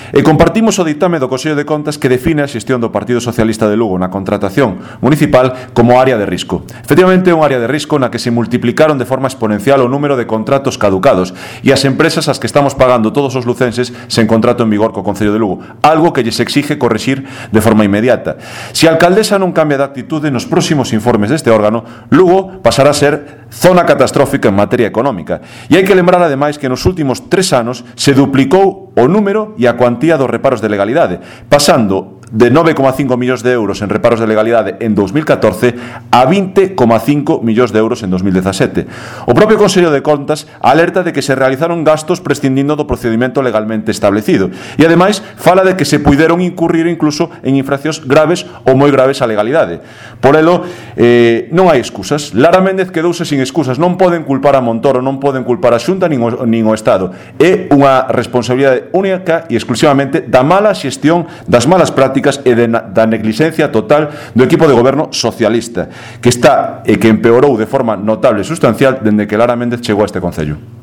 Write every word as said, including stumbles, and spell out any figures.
E compartimos o ditame do Consello de Contas que define a xestión do Partido Socialista de Lugo na contratación municipal como área de risco. Efectivamente, é un área de risco na que se multiplicaron de forma exponencial o número de contratos caducados e as empresas ás que estamos pagando todos os lucenses sen contrato en vigor co Concello de Lugo, algo que lles exige corrixir de forma inmediata. Se a alcaldesa non cambia de actitude nos próximos informes deste órgano, Lugo pasará a ser zona catastrófica en materia económica. E hai que lembrar ademais que nos últimos tres anos se duplicou o número e a cuantía dos reparos de legalidade, pasando de nove coma cinco millóns de euros en reparos de legalidade en dous mil catorce a vinte coma cinco millóns de euros en dous mil dezasete. O propio Consello de Contas alerta de que se realizaron gastos prescindindo do procedimento legalmente establecido e, ademais, fala de que se puideron incurrir incluso en infraccións graves ou moi graves á legalidade. Por elo, eh, non hai excusas. Lara Méndez quedouse sin excusas. Non poden culpar a Montoro, non poden culpar a Xunta nin o, nin o Estado. É unha responsabilidade única e exclusivamente da mala xestión, das malas prácticas e de, da negligencia total do equipo de goberno socialista que está e que empeorou de forma notable e sustancial dende que Lara Méndez chegou a este Concello.